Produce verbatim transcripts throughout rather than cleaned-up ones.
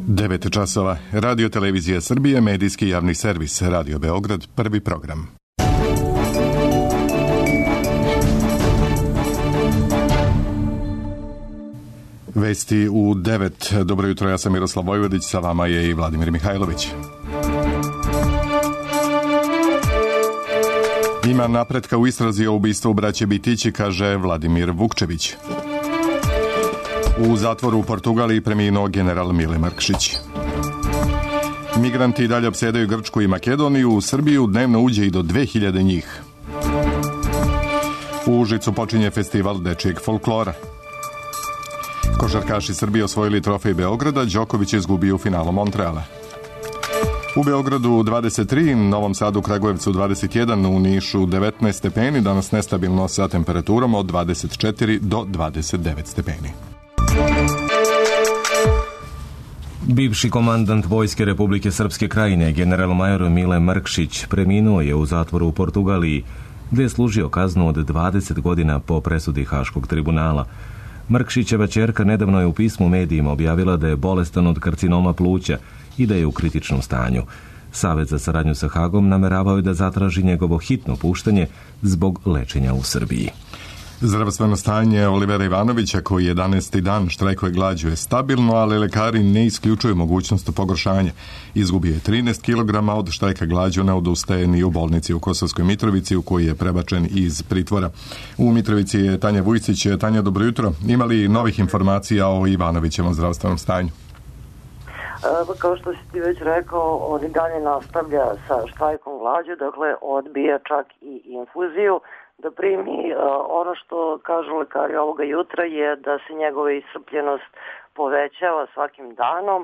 devet časova. Radio Televizija Srbije, medijski javni servis. Radio Beograd, prvi program. Vesti u devet. Dobro jutro, ja sam Miroslav Vojvodić, sa vama je i Vladimir Mihajlović. Ima napretka u istrazi o ubistvu braće Bitići, kaže Vladimir Vukčević. U zatvoru u Portugaliji preminuo general Mile Mrkšić. Migranti dalje opsedaju Grčku i Makedoniju, u Srbiju dnevno uđe i do dve hiljade njih. U Užicu počinje festival dečijeg folklora. Košarkaši Srbije osvojili trofej Beograda, Đoković je izgubio u finalu Montreala. U Beogradu dvadeset tri, Novom Sadu, Kragujevcu dvadeset jedan, u Nišu devetnaest stepeni, danas nestabilno sa temperaturom od dvadeset četiri do dvadeset devet stepeni. Bivši komandant Vojske Republike Srpske Krajine, general-major Mile Mrkšić, preminuo je u zatvoru u Portugaliji, gde je služio kaznu od dvadeset godina po presudi Haškog tribunala. Mrkšićeva ćerka nedavno je u pismu medijima objavila da je bolestan od karcinoma pluća i da je u kritičnom stanju. Savet za saradnju sa Hagom nameravao je da zatraži njegovo hitno puštanje zbog lečenja u Srbiji. Zdravstveno stanje Olivera Ivanovića, koji jedanaesti dan štrajkuje glađu, je stabilno, ali lekari ne isključuju mogućnost pogoršanja. Izgubio je trinaest kilograma, od štrajka glađu ne odustaje ni u bolnici u Kosovskoj Mitrovici, u koji je prebačen iz pritvora. U Mitrovici je Tanja Vujsić. Tanja, dobro jutro. Ima li novih informacija o Ivanovićevom zdravstvenom stanju? Kao što si ti već rekao, on i dalje nastavlja sa štrajkom glađu, dakle odbija čak i infuziju da primi. Ono što kažu lekari ovoga jutra je da se njegova iscrpljenost povećava svakim danom.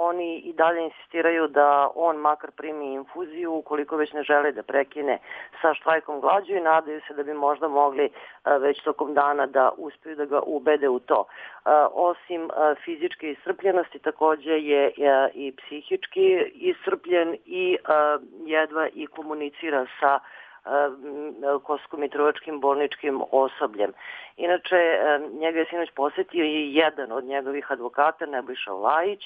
Oni i dalje insistiraju da on makar primi infuziju ukoliko već ne žele da prekine sa štrajkom glađu i nadaju se da bi možda mogli već tokom dana da uspiju da ga ubede u to. Osim fizičke iscrpljenosti, takođe je i psihički iscrpljen i jedva i komunicira sa Kosovsko-mitrovačkim bolničkim osobljem. Inače, njega je sinoć posetio i jedan od njegovih advokata, Nebojša Vlajić,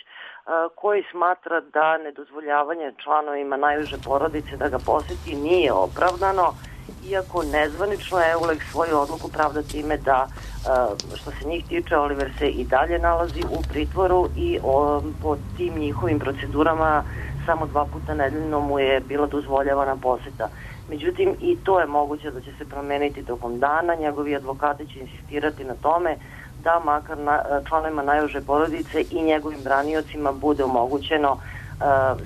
koji smatra da nedozvoljavanje članovima najuže porodice da ga poseti nije opravdano, iako nezvanično je Eulek svoju odluku pravda time da, što se njih tiče, Oliver se i dalje nalazi u pritvoru i po tim njihovim procedurama samo dva puta nedeljno mu je bila dozvoljavana poseta. Međutim, i to je moguće da će se promeniti tokom dana. Njegovi advokati će insistirati na tome da makar na, članovima najuže porodice i njegovim braniocima bude omogućeno uh,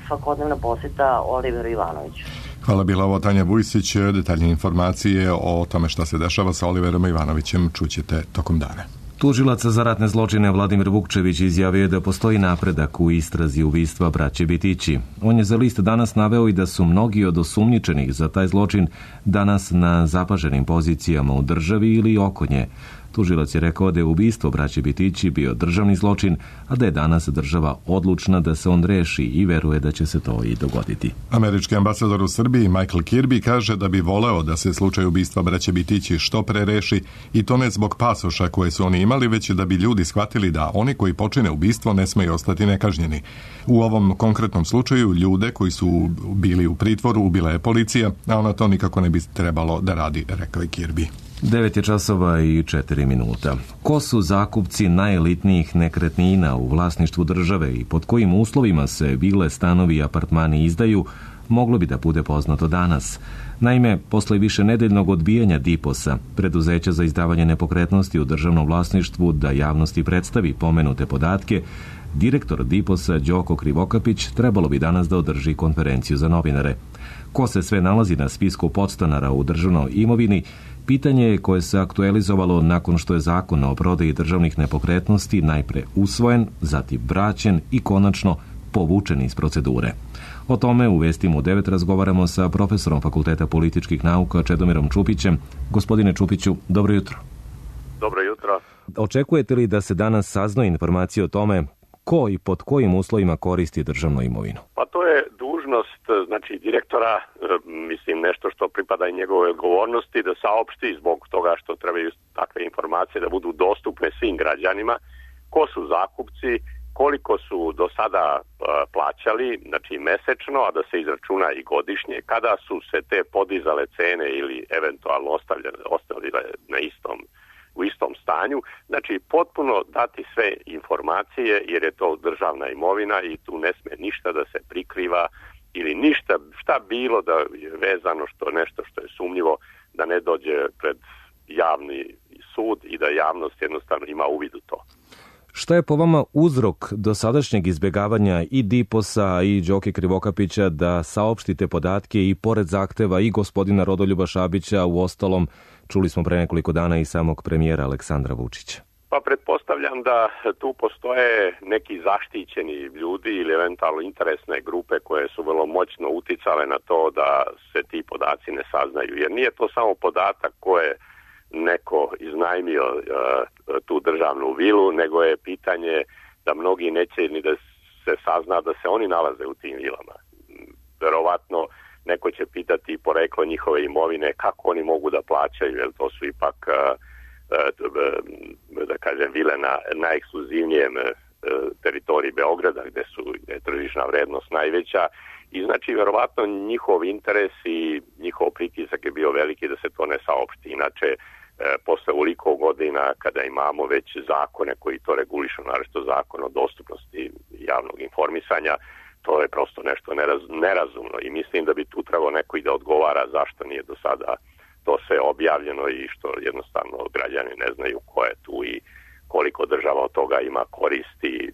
svakodnevna poseta Oliveru Ivanoviću. Hvala, bila ovo Tanja Vujsić. Detaljne informacije o tome šta se dešava sa Oliverom Ivanovićem čućete tokom dana. Tužilac za ratne zločine Vladimir Vukčević izjavio je da postoji napredak u istrazi ubistva braće Bitići. On je za list danas naveo i da su mnogi od osumnjičenih za taj zločin danas na zapaženim pozicijama u državi ili oko nje. Tužilac je rekao da je ubistvo braće Bitići bio državni zločin, a da je danas država odlučna da se on reši i veruje da će se to i dogoditi. Američki ambasador u Srbiji Michael Kirby kaže da bi voleo da se slučaj ubistva braće Bitići što pre reši, i to ne zbog pasoša koje su oni imali, već da bi ljudi shvatili da oni koji počine ubistvo ne smeju ostati nekažnjeni. U ovom konkretnom slučaju ljude koji su bili u pritvoru ubila je policija, a ona to nikako ne bi trebalo da radi, rekao je Kirby. devet je časova i četiri minuta. Ko su zakupci najelitnijih nekretnina u vlasništvu države i pod kojim uslovima se vile, stanovi i apartmani izdaju, moglo bi da bude poznato danas. Naime, posle više nedeljnog odbijanja Diposa, preduzeća za izdavanje nepokretnosti u državnom vlasništvu, da javnosti predstavi pomenute podatke, direktor Diposa Đoko Krivokapić trebalo bi danas da održi konferenciju za novinare. Ko se sve nalazi na spisku podstanara u državnoj imovini, pitanje je koje se aktualizovalo nakon što je zakon o prodaji državnih nepokretnosti najpre usvojen, zatim vraćen i konačno povučen iz procedure. O tome u vestima u devet razgovaramo sa profesorom Fakulteta političkih nauka Čedomirom Čupićem. Gospodine Čupiću, dobro jutro. Dobro jutro. Očekujete li da se danas sazna informacije o tome ko i pod kojim uslovima koristi državnu imovinu? Pa to je dužnost, znači direktora, mislim nešto što pripada i njegove odgovornosti, da saopšti zbog toga što trebaju takve informacije da budu dostupne svim građanima, ko su zakupci, koliko su do sada plaćali, znači mesečno, a da se izračuna i godišnje, kada su se te podizale cene ili eventualno ostavljene, ostavile na istom, u istom stanju. Znači potpuno dati sve informacije jer je to državna imovina i tu ne sme ništa da se prikriva ili ništa, šta bilo da je vezano što nešto što je sumnjivo da ne dođe pred javni sud i da javnost jednostavno ima uvid u to. Šta je po vama uzrok dosadašnjeg izbjegavanja i Diposa i Đoke Krivokapića da saopštite podatke i pored zahteva i gospodina Rodoljuba Šabića, u ostalom čuli smo pre nekoliko dana i samog premijera Aleksandra Vučića? Pa pretpostavljam da tu postoje neki zaštićeni ljudi ili eventualno interesne grupe koje su vrlo moćno uticale na to da se ti podaci ne saznaju. Jer nije to samo podatak koje neko iznajmio uh, tu državnu vilu, nego je pitanje da mnogi neće ni da se sazna da se oni nalaze u tim vilama. Verovatno neko će pitati poreklo njihove imovine, kako oni mogu da plaćaju, jer to su ipak uh, uh, da kažem vile na najekskluzivnijem uh, teritoriji Beograda gde su gde je tržišna vrednost najveća i znači verovatno njihov interes i njihov pritisak je bio veliki da se to ne saopšti. Inače posle ovoliko godina kada imamo već zakone koji to regulišu, naročito zakon o dostupnosti javnog informisanja, to je prosto nešto neraz, nerazumno i mislim da bi tu trebalo neko i da odgovara zašto nije do sada to sve objavljeno i što jednostavno građani ne znaju ko je tu i koliko država od toga ima koristi.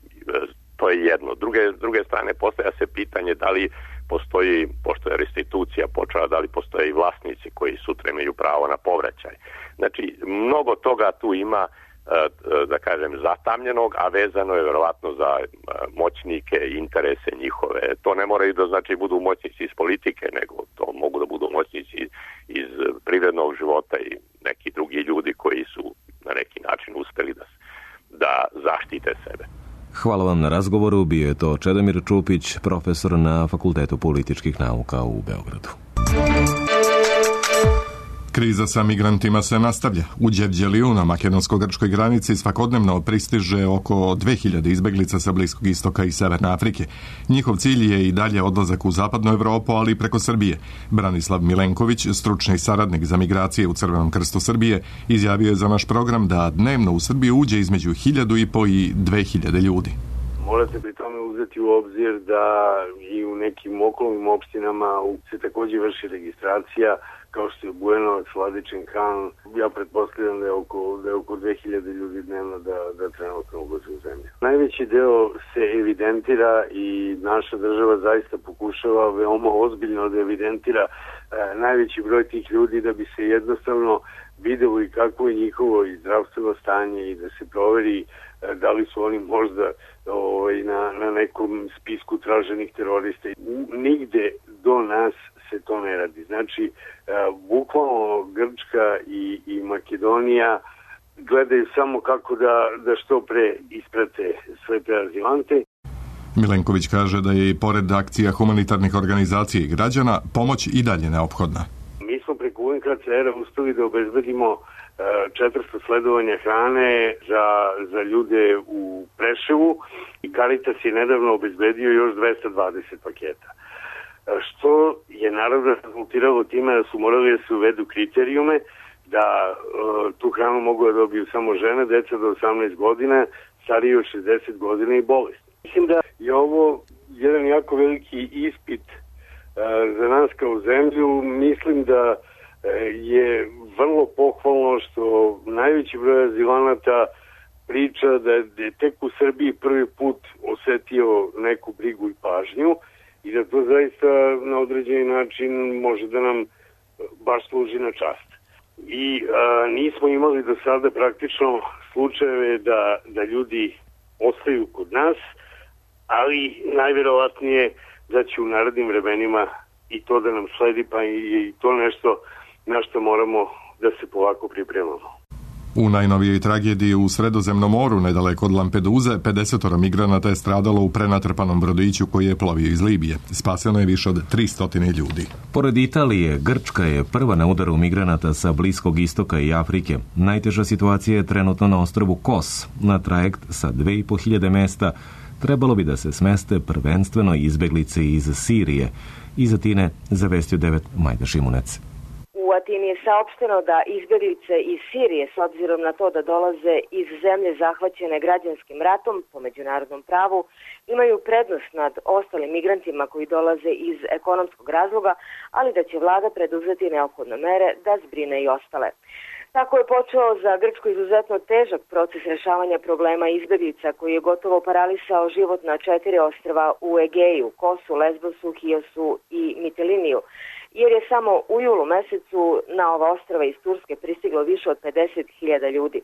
To je jedno. Druge, s druge strane postavlja se pitanje da li postoji, pošto je restitucija počela, da li postoje i vlasnici koji sutra imaju pravo na povraćaj. Znači, mnogo toga tu ima, da kažem, zatamljenog, a vezano je verovatno za moćnike i interese njihove. To ne moraju da znači budu moćnici iz politike, nego to mogu da budu moćnici iz privrednog života i neki drugi ljudi koji su na neki način uspeli da, da zaštite sebe. Hvala vam na razgovoru. Bio je to Čedomir Čupić, profesor na Fakultetu političkih nauka u Beogradu. Kriza sa migrantima se nastavlja. U Đevđeliju na makedonsko-grčkoj granici svakodnevno pristiže oko dve hiljade izbeglica sa Bliskog istoka i Severne Afrike. Njihov cilj je i dalje odlazak u zapadnu Evropu, ali i preko Srbije. Branislav Milenković, stručni saradnik za migracije u Crvenom krstu Srbije, izjavio je za naš program da dnevno u Srbiju uđe između hiljadu i po i dve hiljade ljudi. Morate pri tome uzeti u obzir da i u nekim okolnim opštinama se takođe vrši registracija, kao što je Bujanovac, Vladičin Han. Ja pretpostavljam da je oko, da je oko dve hiljade ljudi dnevno da, da trenutno ulaze u zemlju. Najveći deo se evidentira i naša država zaista pokušava veoma ozbiljno da evidentira e, najveći broj tih ljudi da bi se jednostavno videlo i kako je njihovo i zdravstveno stanje i da se proveri e, da li su oni možda ovaj, na, na nekom spisku traženih terorista. Nigde do nas se to ne radi. Znači, bukvalno Grčka i, i Makedonija gledaju samo kako da, da što pre isprate sve te azilante. Milenković kaže da je i pored akcija humanitarnih organizacija i građana pomoć i dalje neophodna. Mi smo preko U N H C R-a uspeli da obezbedimo četiristo sledovanja hrane za, za ljude u Preševu i Caritas je nedavno obezbedio još dvesta dvadeset paketa. Što je naravno rezultiralo time da su morali da se uvedu kriterijume da uh, tu hranu mogu da dobiju samo žene, deca do osamnaest godina, stariji od šezdeset godina i bolesni. Mislim da je ovo jedan jako veliki ispit uh, za nas kao zemlju. Mislim da uh, je vrlo pohvalno što najveći broj azilanata priča da je tek u Srbiji prvi put osetio neku brigu i pažnju i da to zaista na određeni način može da nam baš služi na čast. I a, nismo imali do sada praktično slučajeve da, da ljudi ostaju kod nas, ali najverovatnije da će u narednim vremenima i to da nam sledi, pa i, i to nešto na što moramo da se polako pripremamo. U najnovijoj tragediji u Sredozemnom moru, nedaleko od Lampeduze, pedeset migranata je stradalo u prenatrpanom brodiću koji je plovio iz Libije. Spaseno je više od tristo ljudi. Pored Italije, Grčka je prva na udaru migranata sa Bliskog istoka i Afrike. Najteža situacija je trenutno na ostrvu Kos. Na trajekt sa dve i po hiljade mesta trebalo bi da se smeste prvenstveno izbeglice iz Sirije. Iz Atine zavestio devet Majda Šimunec. U Atini je saopšteno da izbjeglice iz Sirije, s obzirom na to da dolaze iz zemlje zahvaćene građanskim ratom po međunarodnom pravu, imaju prednost nad ostalim migrantima koji dolaze iz ekonomskog razloga, ali da će vlada preduzeti neophodne mere da zbrine i ostale. Tako je počeo za Grčku izuzetno težak proces rešavanja problema izbjeglica koji je gotovo paralisao život na četiri ostrva u Egeju, Kosu, Lesbosu, Hiosu i Mitiliniju, jer je samo u julu mesecu na ova ostrva iz Turske pristiglo više od pedeset hiljada ljudi.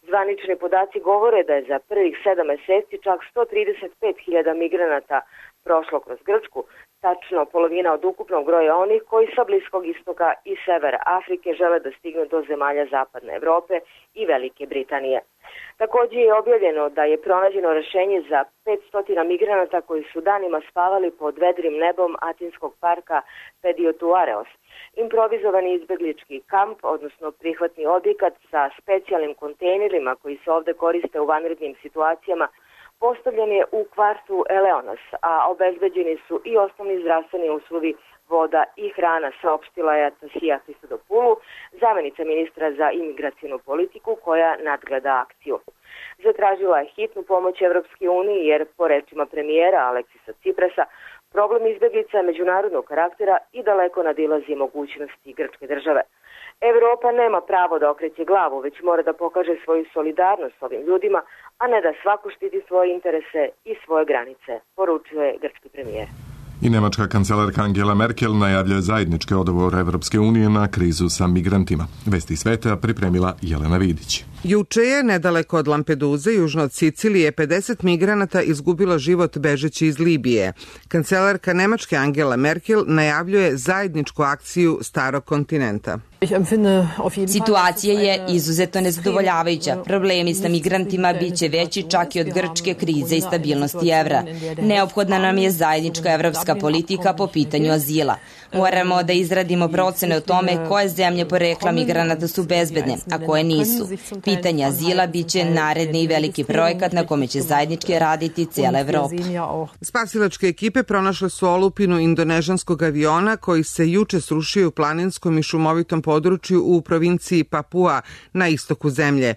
Zvanični podaci govore da je za prvih sedam meseci čak sto trideset pet hiljada migranata prošlo kroz Grčku, tačno polovina od ukupnog broja onih koji sa Bliskog istoka i severa Afrike žele da stignu do zemalja Zapadne Evrope i Velike Britanije. Također je objavljeno da je pronađeno rešenje za petsto migranata koji su danima spavali pod vedrim nebom Atinskog parka Pediotuareos. Improvizovani izbeglički kamp, odnosno prihvatni objekat sa specijalnim kontejnerima koji se ovde koriste u vanrednim situacijama, postavljen je u kvartu Eleonas, a obezbeđeni su i osnovni zdravstveni uslovi, voda i hrana, saopštila je Tasija Christodopoulou, zamenica ministra za imigracijnu politiku koja nadgleda akciju. Zatražila je hitnu pomoć Evropske unije jer, po rečima premijera Aleksisa Ciprasa, problem izbeglica je međunarodnog karaktera i daleko nadilazi mogućnosti grčke države. Evropa nema pravo da okreće glavu, već mora da pokaže svoju solidarnost s ovim ljudima, a ne da svako štiti svoje interese i svoje granice, poručuje grčki premijer. I nemačka kancelarka Angela Merkel najavljuje zajednički odgovor Evropske unije na krizu sa migrantima. Vesti sveta pripremila Jelena Vidić. Juče je, nedaleko od Lampeduze, južno od Sicilije, pedeset migranata izgubilo život bežeći iz Libije. Kancelarka Nemačke Angela Merkel najavljuje zajedničku akciju starog kontinenta. Situacija je izuzetno nezadovoljavajuća. Problemi sa migrantima biće veći čak i od grčke krize i stabilnosti evra. Neophodna nam je zajednička evropska politika po pitanju azila. Moramo da izradimo procene o tome koje zemlje porekla migranata su bezbedne, a koje nisu. Pitanje azila biće naredni i veliki projekat na kome će zajednički raditi cijela Evropa. Spasilačke ekipe pronašle su olupinu indonežanskog aviona koji se juče srušio u planinskom i šumovitom području u provinciji Papua na istoku zemlje.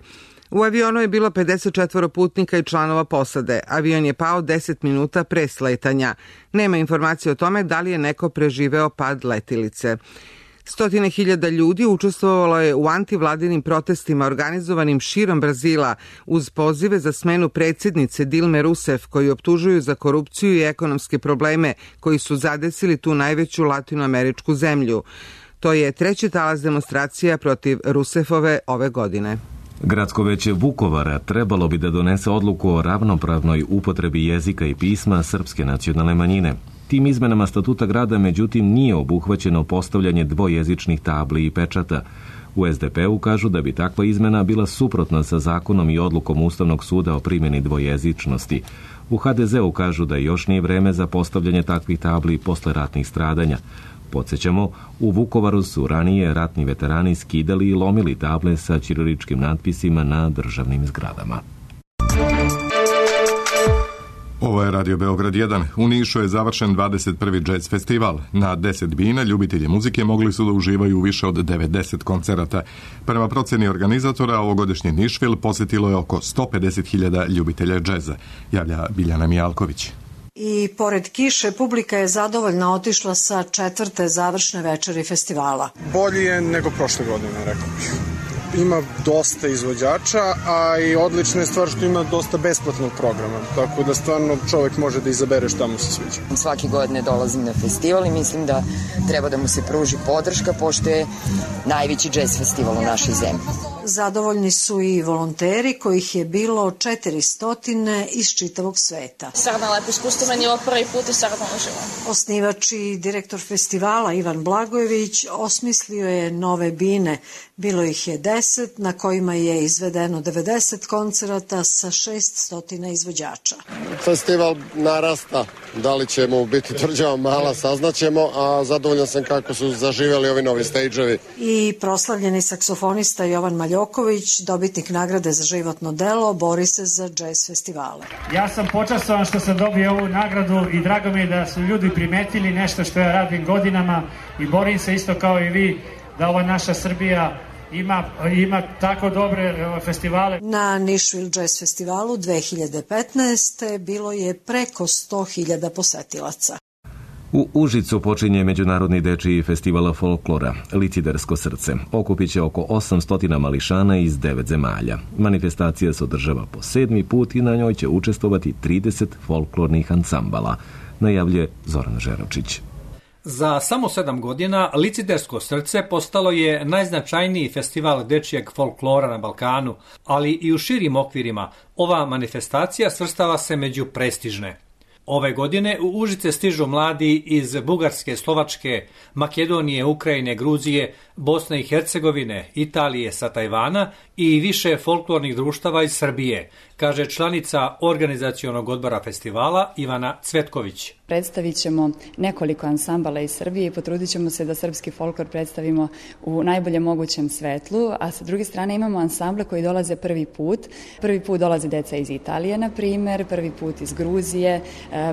U avionu je bilo pedeset četvoro putnika i članova posade. Avion je pao deset minuta pre sletanja. Nema informacije o tome da li je neko preživeo pad letilice. Stotine hiljada ljudi učestvovalo je u antivladinim protestima organizovanim širom Brazila uz pozive za smenu predsjednice Dilme Rousseff koji optužuju za korupciju i ekonomske probleme koji su zadesili tu najveću latinoameričku zemlju. To je treći talas demonstracija protiv Rousseffove ove godine. Gradsko veće Vukovara trebalo bi da donese odluku o ravnopravnoj upotrebi jezika i pisma srpske nacionalne manjine. Tim izmenama statuta grada, međutim, nije obuhvaćeno postavljanje dvojezičnih tabli i pečata. U es de pe u kažu da bi takva izmena bila suprotna sa zakonom i odlukom Ustavnog suda o primjeni dvojezičnosti. U ha de zeu kažu da još nije vreme za postavljanje takvih tabli posle ratnih stradanja. Podsjećamo, u Vukovaru su ranije ratni veterani skidali i lomili table sa ćiriličkim natpisima na državnim zgradama. Ovo je Radio Beograd jedan. U Nišu je završen dvadeset prvi džez festival. Na deset bina ljubitelji muzike mogli su da uživaju u više od devedeset koncerata. Prema proceni organizatora, ovogodišnji Nišvil posjetilo je oko sto pedeset hiljada ljubitelja džeza, javlja Biljana Mijalković. I pored kiše, publika je zadovoljna otišla sa četvrte završne večeri festivala. Bolje je nego prošle godine, rekao bih. Ima dosta izvođača, a i odlična je stvar što ima dosta besplatnog programa, tako da stvarno čovjek može da izabere šta mu se sviđa. Svake godine dolazim na festival i mislim da treba da mu se pruži podrška, pošto je najveći džez festival u našoj zemlji. Zadovoljni su i volonteri, kojih je bilo četiristo iz čitavog sveta. Srdan lepo iskustvo, meni je ovo prvi put i srdan uživam. Osnivač i direktor festivala Ivan Blagojević osmislio je nove bine. Bilo ih je deset, na kojima je izvedeno devedeset koncerata sa šeststo izvođača. Festival narasta Da li će mu biti tvrđava mala, saznaćemo, a zadovoljan sam kako su zaživjeli ovi novi stage-ovi. I proslavljeni saksofonista Jovan Maljoković, dobitnik nagrade za životno delo, bori se za jazz festivale. Ja sam počastovan što sam dobio ovu nagradu i drago mi je da su ljudi primetili nešto što ja radim godinama i borim se isto kao i vi da ova naša Srbija Ima, ima tako dobre festivale. Na Nashville Jazz Festivalu dve hiljade petnaeste. bilo je preko sto hiljada posetilaca. U Užicu počinje Međunarodni dečiji festival folklora Licidersko srce. Okupit će oko osamsto mališana iz devet zemalja. Manifestacija se održava po sedmi put i na njoj će učestvovati trideset folklornih ansambala, najavljuje Zoran Žeročić. Za samo sedam godina Licidersko srce postalo je najznačajniji festival dečijeg folklora na Balkanu, ali i u širim okvirima ova manifestacija svrstava se među prestižne. Ove godine u Užice stižu mladi iz Bugarske, Slovačke, Makedonije, Ukrajine, Gruzije, Bosne i Hercegovine, Italije, sa Tajvana i više folklornih društava iz Srbije, kaže članica organizacionog odbora festivala Ivana Cvetković. Predstavit ćemo nekoliko ansambala iz Srbije i potrudit ćemo se da srpski folklor predstavimo u najboljem mogućem svetlu, a sa druge strane imamo ansamble koji dolaze prvi put. Prvi put dolaze deca iz Italije, na primer, prvi put iz Gruzije,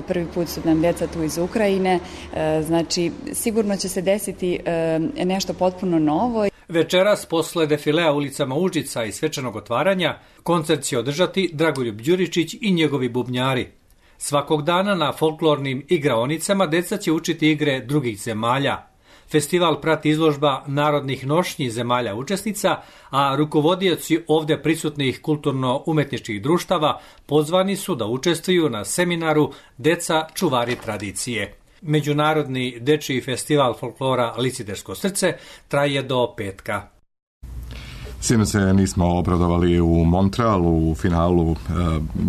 prvi put su nam deca tu iz Ukrajine, znači sigurno će se desiti nešto potpuno novo. Večeras, posle defilea ulicama Užica i svečanog otvaranja, koncert će održati Dragoljub Đuričić i njegovi bubnjari. Svakog dana na folklornim igraonicama deca će učiti igre drugih zemalja. Festival prati izložba narodnih nošnji zemalja učesnica, a rukovodioci ovde prisutnih kulturno-umetničkih društava pozvani su da učestvuju na seminaru Deca čuvari tradicije. Međunarodni dečiji festival folklora Licidersko srce traje do petka. Sino se nismo obradovali u Montrealu u finalu.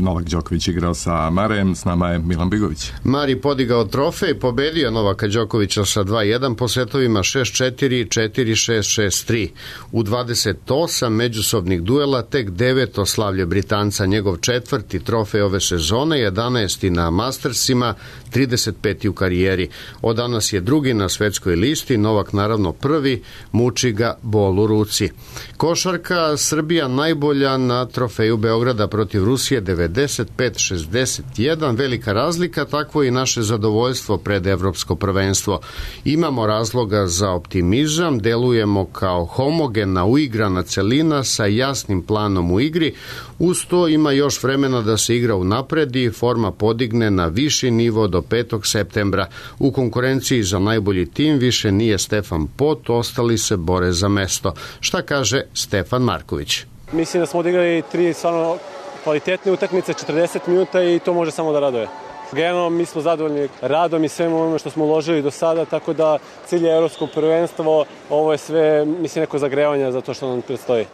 Novak Đoković igrao sa Marejem, s nama je Milan Bigović. Mari podigao trofej, pobedio Novaka Đokovića sa dva jedan po setovima šest četiri, četiri šest, šest tri. U dvadeset osam međusobnih duela tek deveto slavlje Britanca, njegov četvrti trofej ove sezone, jedanaesti na Mastersima, trideset peti u karijeri. Od danas je drugi na svetskoj listi, Novak naravno prvi, muči ga bol u ruci. Košarka, Srbija najbolja na trofeju Beograda protiv Rusije, devedeset pet šezdeset jedan, velika razlika, takvo i naše zadovoljstvo pred evropsko prvenstvo. Imamo razloga za optimizam, delujemo kao homogena, uigrana celina sa jasnim planom u igri, uz to ima još vremena da se igra unapredi, forma podigne na viši nivo do petog septembra. U konkurenciji za najbolji tim više nije Stefan Pot, ostali se bore za mesto. Šta kaže Stefan Marković? Mislim da smo odigrali tri stvarno kvalitetne utakmice, četrdeset minuta i to može samo da raduje. Generalno mi smo zadovoljni radom i svemu onome što smo uložili do sada, tako da cilj je evropsko prvenstvo, ovo je sve, mislim, neko zagrevanje za to što nam predstoji.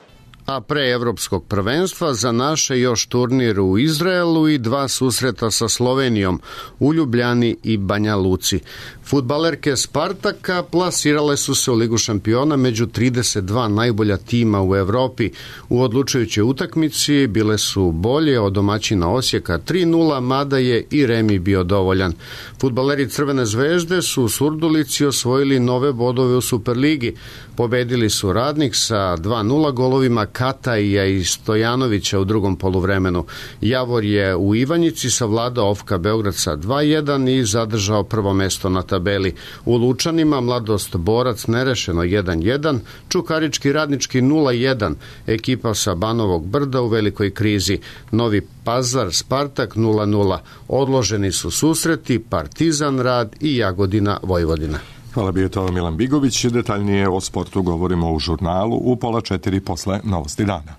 A pre evropskog prvenstva za naše još turnir u Izraelu i dva susreta sa Slovenijom u Ljubljani i Banja Luci. Fudbalerke Spartaka plasirale su se u Ligu šampiona među trideset dva najbolja tima u Evropi. U odlučujućoj utakmici bile su bolje od domaćina Osijeka tri nula, mada je i remi bio dovoljan. Fudbaleri Crvene zvezde su u Surdulici osvojili nove bodove u Superligi. Pobedili su Radnik sa dva nula golovima Kataija i Stojanovića u drugom poluvremenu. Javor je u Ivanjici savladao Ofka Beograd sa dva jedan i zadržao prvo mesto na tabeli. U Lučanima Mladost Borac nerešeno jedan jedan, Čukarički Radnički nula jedan, ekipa sa Banovog Brda u velikoj krizi. Novi Pazar Spartak nula nula. Odloženi su susreti Partizan Rad i Jagodina Vojvodina. Hvala, bio to Milan Bigović. Detaljnije o sportu govorimo u žurnalu u pola četiri posle Novosti dana.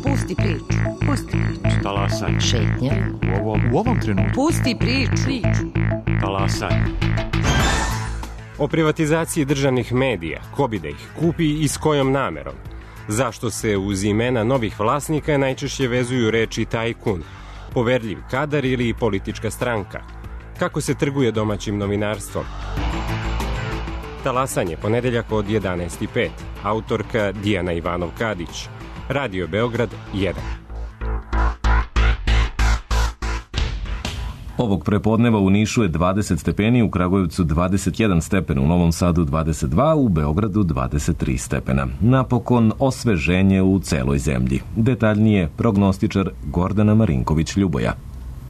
Pusti priču. Pusti priču. Talasaj. Šetnja. U ovom, u ovom trenutku. Pusti priču. Talasaj. O privatizaciji državnih medija, ko bi da ih kupi i s kojom namerom. Zašto se uz imena novih vlasnika najčešće vezuju reči tajkun, poverljiv kadar ili politička stranka? Kako se trguje domaćim novinarstvom? Talasanje, ponedeljak od jedanaest i pet. Autorka Dijana Ivanov-Kadić. Radio Beograd jedan. Ovog prepodneva u Nišu je dvadeset stepeni, u Kragujevcu dvadeset jedan stepen, u Novom Sadu dvadeset dva, u Beogradu dvadeset tri stepena. Napokon osveženje u celoj zemlji. Detaljnije prognostičar Gordana Marinković-Ljuboja.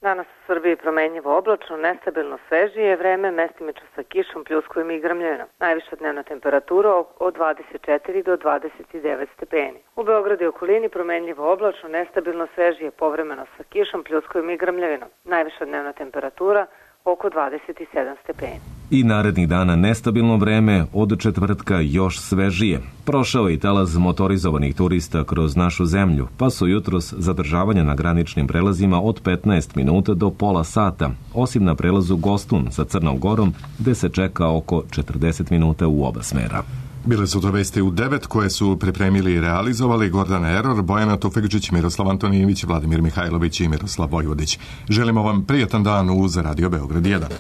Danas u Srbiji promenljivo oblačno, nestabilno svežije vreme, mestimično sa kišom, pljuskovim i grmljevinom. Najviša dnevna temperatura od dvadeset četiri do dvadeset devet stepeni. U Beogradu i okolini promenljivo oblačno, nestabilno svežije, povremeno sa kišom, pljuskovim i grmljevinom. Najviša dnevna temperatura oko dvadeset sedam stepeni. I narednih dana nestabilno vreme, od četvrtka još svežije. Prošao je i talas motorizovanih turista kroz našu zemlju, pa su jutros zadržavanja na graničnim prelazima od petnaest minuta do pola sata, osim na prelazu Gostun sa Crnom Gorom, gde se čeka oko četrdeset minuta u oba smera. Bile su to vesti u devet koje su pripremili i realizovali Gordana Eror, Bojana Tufekđić, Miroslav Antonijević, Vladimir Mihajlović i Miroslav Vojvodić. Želimo vam prijatan dan uz Radio Beograd jedan.